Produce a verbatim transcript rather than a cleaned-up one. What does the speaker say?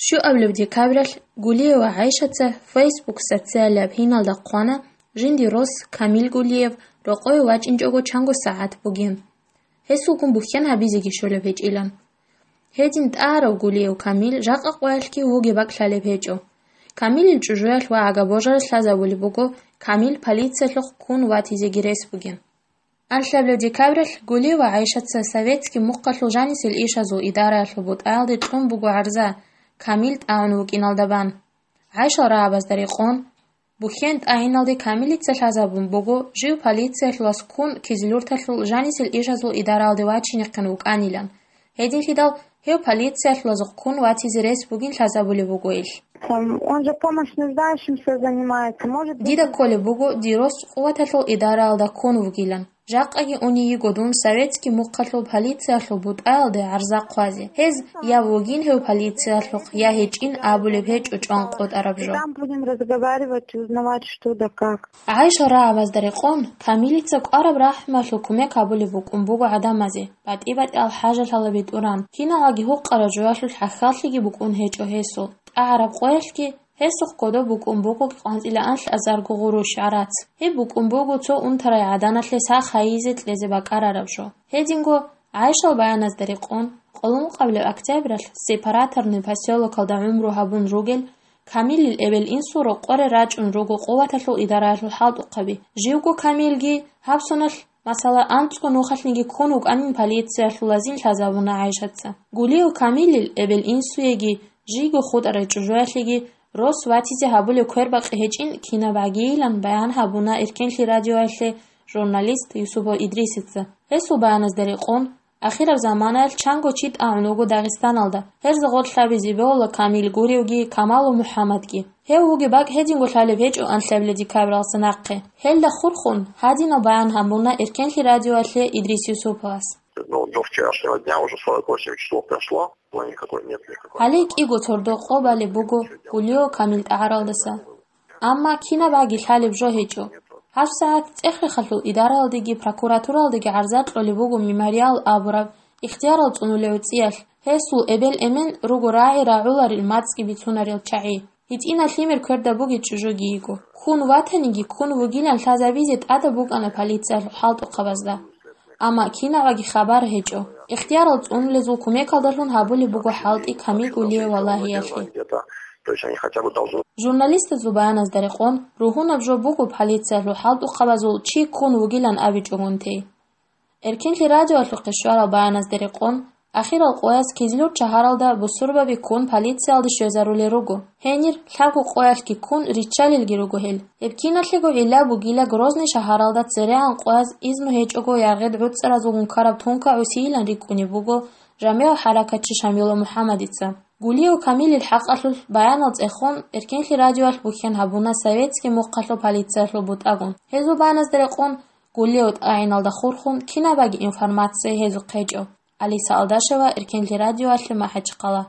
Щуабилеб декабралъ Гулиева ГӀайшаца Facebook социалияб гьиналда хъвана, жинди рос Камил Гулиев рокъове вачӀинчӀого чанго сагӀат бугин. Гьесулгун бухьен гьабизеги щолеб гьечӀилан. Гьедин тӀагӀарав Гулиев Камил жакъа къоялъги вугеб бакӀ лъалеб гьечӀо. Камилил чӀужуялъ ва агабожаралъ лъазабулеб буго Камил полициялъухъ ккун ватизеги рес бугин. Анлъабилеб декабралъ Гулиева ГӀайшаца советский мухъалъул жанисел ишазул идараялъул бутӀаялде кьун буго гӀарза, Камил тӀагӀун вукӀиналда бан. ГӀайшал рагӀабазда рекъон, бухьен тӀагӀиналде Камилица лъазабун буго жив полициялъулас ккун Кизилюрталъул жанисел ишазул идараялде вачинехъин вукӀанилан. Гьединлъидал гьев полициялъулазухъ ккун ватизе рес бугин лъазабулеб буго ил. Там, он же помощь нуждающимся занимается, может быть. Дида кколеб буго дир рос къуваталъул идараялда ккун вугилан. Жакъаги уней йиго дун советский мухъалъул полициялъул бутӀаялде гӀарза хъвазе. Гьез я вугин гьев полициялъухъ, я гьечӀин абулеб гьечӀо чӀван къотӀараб жо. Там будем разговаривать и узнавать, что да как. ГӀайшал рагӀабазда рекъон, Камилица кӀвараб рахӀмалъул кумек гьабулеб букӀун буго гӀадамазе, батӀи-батӀиял хӀажалъала битӀуран, киналги гьукъараб жоялъул хӀахьаллъиги букӀун гьечӀо гьесул. ТӀагӀараб къоялъги гьесухъ кодоб букӀун буго къванцӀила анлъазарго гъурущ гӀарац. Гьеб букӀун буго цо унтарай гӀаданалъе сах гьайизе кьезе бакӀарараб жо. Гьединго, ГӀайшал баяназда рекъон, къоло ункъабилеб октябралъ Сепараторный посёлокалда гӀумру гьабун ругел Камилил эбел-инсул рокъоре рачӀун руго къуваталъул идараялъул хӀалтӀухъаби. Живго Камилги гьаб соналъ, масала, анцӀго нухалъниги ккун вукӀанин полициялъулазин лъазабуна ГӀайшаца. Гулиев Камилил эбел-инсуеги жийго хутӀарай чӀужуялъеги рос ватизе гьабулеб квербакъи гьечӀин кинаб гӀагийилан баян гьабуна Эркенлъи радиоялъе журналист Юсупов Идрисица. Гьесул баяназда рекъон, ахираб заманаялъ чанго чи тӀагӀун вуго Дагъистаналда. Гьерза гъорлъаби зибеола Камил гуревги Камалу МухӀаммадги. Гьев вугеб бакӀ гьединго лъалеб гьечӀо анлъабилеб декабралдаса нахъе. Гьелда хурхун, гьадинал баян гьабуна Эркенлъи радиоялъе Идрис Юсуповас. Ну, до вчерашнего дня уже сорок восемь часов прошло, но никакой нет никакой. Гьале кӀиго цордо къо балеб буго Гулиев Камил тӀагӀаралдаса. Амма кинаб аги лъалеб жо гьечӀо. ГьабсагӀат ЦӀехрехалъул идараялдеги прокуратуралдеги гӀарза кьолеб буго Мемориал абураб ихтиярал цӀунулев цӀиялъ. Гьесул эбел-эмен руго рагӀи рагӀуларел мацӀги бицунарел чагӀи. ГьитӀинал лъимер кверда бугел чӀужуги йиго. Ккун ватаниги ккун вугилан лъазабизе тӀадаб букӀана полициялъул хӀалтӀухъабазда. Амма кинабаги хабар гьечӀо. Ихтиярал цӀунулезул кумекалдалъун гьабулеб буго хӀалтӀи Камил Гулиев валагьиялъе. То есть они хотя бы должны. Журналистазул баяназда рекъон, ругьунаб жо буго полициялъул хӀалтӀухъабазул чи ккун вугилан абичӀогун тей. Эркенлъи радиоялъухъе щварал баяназда рекъон, ахирал къояз Кизлюрт шагьаралда бусурбаби ккун полициялде щвезарулел руго. Гьенир лъабго къоялъги ккун риччалелги руго гьел. Гьеб киналъего гӀилла бугила Грозный шагьаралда церегӀан къояз изну гьечӀого яргъед гӀуцӀаразулгун ккараб тункагӀусийилан рикӀкӀунеб буго жамигӀ хӀаракатчи Шамилов МухӀаммадица. Гулиев Камилил хӀакъалъулъ баянал цӀехун, Эркенлъи радиоялъ бухьен гьабуна советский мухъалъул полициялъул бутӀагун. Гьезул баяназда рекъон, Гулиев тӀагӀиналда хурхун кинабаги информация гьезухъ гьечӀо. Алиса Алдашева, Эркенлъи радиоялъе, МахӀачхъала.